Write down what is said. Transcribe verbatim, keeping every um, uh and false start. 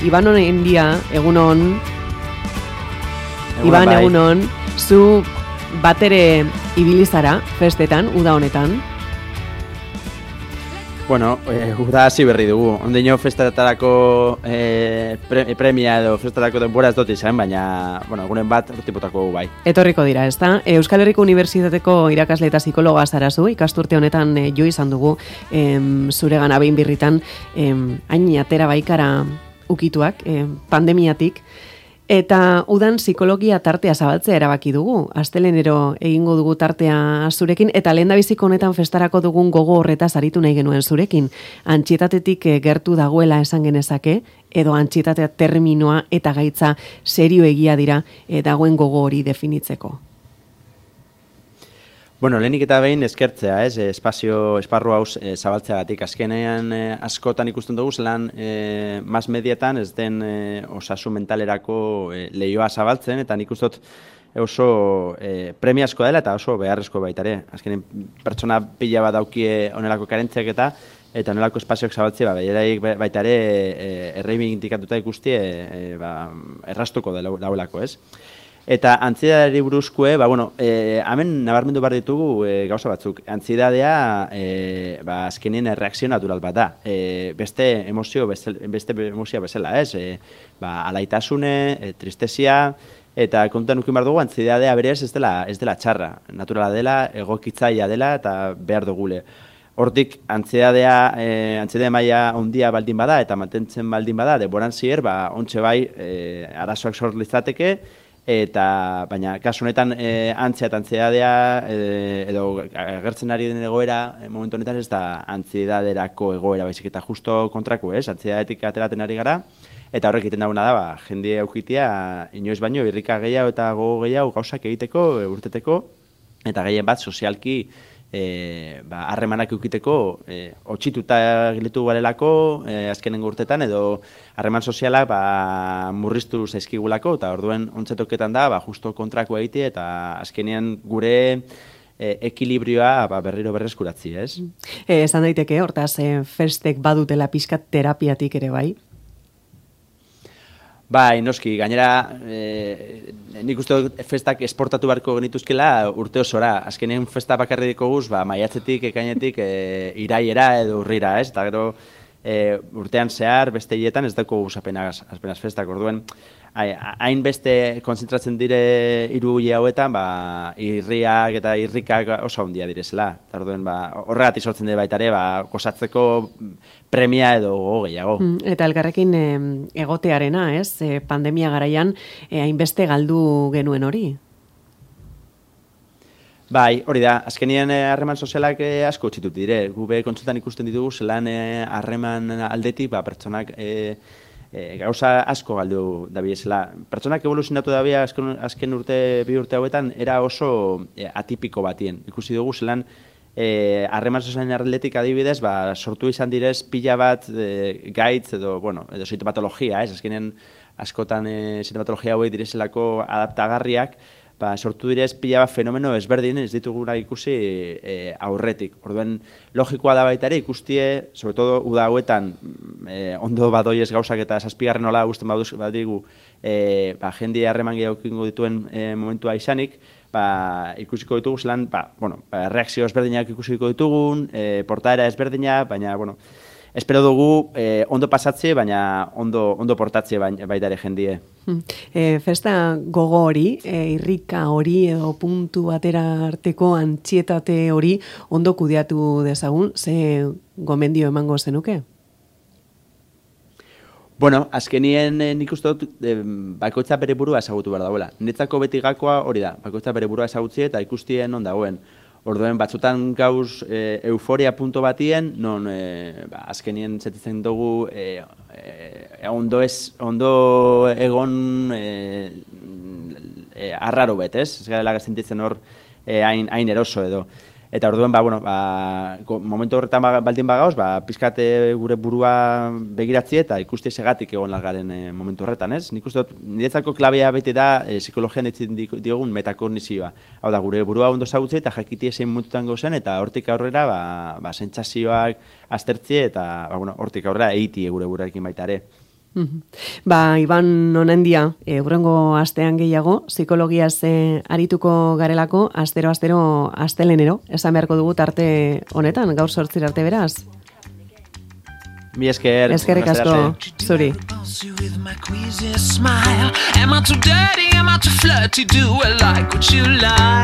Iban honen dia, egunon, Iban bai. Egunon, zu batere ibilizara festetan, uda honetan? Bueno, eh, uda hasi berri dugu. Ondeño festatarako eh, pre, premia edo festatarako denbora ez dut izan, baina, bueno, egunen bat urtipotako bai. Etorriko dira, ezta? Euskal Herriko Unibertsitateko irakasle eta psikologa zarazu, ikasturte honetan eh, jo izan dugu em, zure gana behin birritan, em, hain atera baikara ukituak, em, pandemiatik, eta udan psikologia tartea zabaltzea erabaki dugu. Astelenero egingo dugu tartea zurekin, eta lehendabiziko honetan festarako dugun gogo horretaz aritu nahi genuen zurekin. Antsietatetik gertu dagoela esan genezake, edo antsietatea terminoa eta gaitza serio egia dira e, dagoen gogo hori definitzeko. Bueno, lehenik eta behin eskertzea, ez, espazio, esparru hauz e, zabaltzeagatik. Azkenean e, askotan ikusten dugu, zelan e, mas medietan ez den e, osasun mentalerako e, lehioa zabaltzen, eta nik ustot oso e, premiazkoa dela eta oso beharrezko baitare. Azkenean pertsona pila bat daukie onelako karentziak eta eta onelako espazioak zabaltzea, ba, baitare e, erreibindikatuta ikusti e, e, ba, errastuko dauelako, ez? Eta antziedadari buruzkoe, ba, bueno, e, hemen nabarmendu behar ditugu e, gauza batzuk. Antziedadea, e, ba, azkenien erreakzio natural bat da. E, beste emozio, beste, beste emozia bezala, ez? E, ba, alaitasune, e, tristesia, eta kontuan ukin behar dugu, antziedadea berez ez dela, ez dela txarra. Naturala dela, egokitzaia dela, eta behar dugule. Hortik, antziedadea, e, antziedadea maila ondia baldin bada, eta mantentzen baldin bada, deboran zier, ba, ontxe bai, e, arazoak sort litzateke, eta baina kasu honetan e, antzia eta antziedadea e, edo agertzen ari den egoera e, momentu honetan ez da antziedaderako egoera baizik eta justo kontrako, ez? Antziedadetik ateratzen ari gara eta horrek egiten dagoena da, ba, jende aukitia inoiz baino irrika gehiago eta gogo gehiago gauzak egiteko, e, urteteko eta gehien bat sozialki E, ba, harremanak eukiteko e, otxituta giletu garelako e, azkenengo urtetan edo harreman sozialak ba, murriztu zaizkigulako eta orduen ontzetoketan da ba, justo kontrako egite eta azkenean gure e, ekilibrioa ba, berriro berreskuratzi, ez? E, esan daiteke, hortaz, e, festek badutela pixkat terapiatik ere bai? Bai, noski, gainera, e, nik uste festak esportatu beharko genituzkela urte osora. Azkenean festa bakarri dikoguz, ba, maiatzetik, ekainetik, e, iraiera edo urrira, ez? Eta gero, e, urtean zehar, beste hietan ez dago apenas, apenas festak, orduen, hain beste konzentratzen dire hiru hile hauetan, ba, irriak eta irrikak oso handia direzela. Eta orduen, ba, horregatik sortzen dira baita ere, ba, gozatzeko premia edo gogo gehiago. Eta elkarrekin e, egotearena, ez? E, pandemia garaian, e, hainbeste galdu genuen hori? Bai, hori da, azkenien harreman sozialak e, asko txitut dire. Gube kontsultan ikusten ditugu, zelan harreman e, aldetik, ba, pertsonak e, e, gauza asko galdu dabiezela. Pertsonak evoluzionatu dabia azken, azken urte, bi urte hauetan, era oso e, atipiko batien. Ikusi dugu, zelan harreman e, sozialen aldetik adibidez, ba, sortu izan direz pila bat e, gaitz edo, bueno, edo sintomatologia, ez? Azkenean askotan e, sintomatologia hauek direzelako adaptagarriak, ba, sortu direz pila bat fenomeno ezberdin ez dituguna ikusi e, aurretik. Orduen, logikoa da baita ere ikustie, sobre todo uda hauetan e, ondo badoiez gauzak eta zazpigarren nola guzten badigu e, ba, jendea harreman gehiago dituen e, momentua izanik, ba, ikusiko ditugu zelan, ba, bueno, ba, reakzio ezberdinak ikusiko ditugun, e, portaera ezberdina, baina, bueno, espero dugu eh, ondo pasatze, baina ondo, ondo portatze baita ere jendie. E, festa gogo hori, e, irrika hori edo puntu batera arteko antsietate hori ondo kudeatu dezagun, ze gomendio emango zenuke? Bueno, azkenien eh, nik uste dut eh, bakoitza bere burua ezagutu behar dagoela. Netzako beti gakoa hori da, bakoitza bere burua ezagutzi eta ikustien on dagoen. Orduen, batzutan gauz e, euforia punto batien, non e, ba, azkenien zetitzen dugu e, e, ondo, ez, ondo egon e, e, arraro bet, ez? Ez gara sentitzen hor e, hain, hain eroso edo. Eta orduen, ba, bueno, ba, momentu horretan baldin bagauz, ba, pizkate gure burua begiratzi eta ikusti segatik egon largaren e, momentu horretan, ez? Nik uste dut, niretzako klabea beti da e, psikologian ditzen diogun metakognizioa. Hau da, gure burua ondo zagutze eta jakiti ezein momentutan gozen eta hortik aurrera, ba, ba, sentsazioak aztertzi eta, ba, bueno, hortik aurrera eiti gure burarekin baita ere. Ba, Iban Onendia, e, urrengo astean gehiago, psikologiaz e, arituko garelako, astero, astero, astelenero, esan beharko dugu tarte honetan, gaur sortzir arte beraz. Mi esker. Eskerrik asko, zuri. Am I too dirty, am I too flirty, do I like what you like?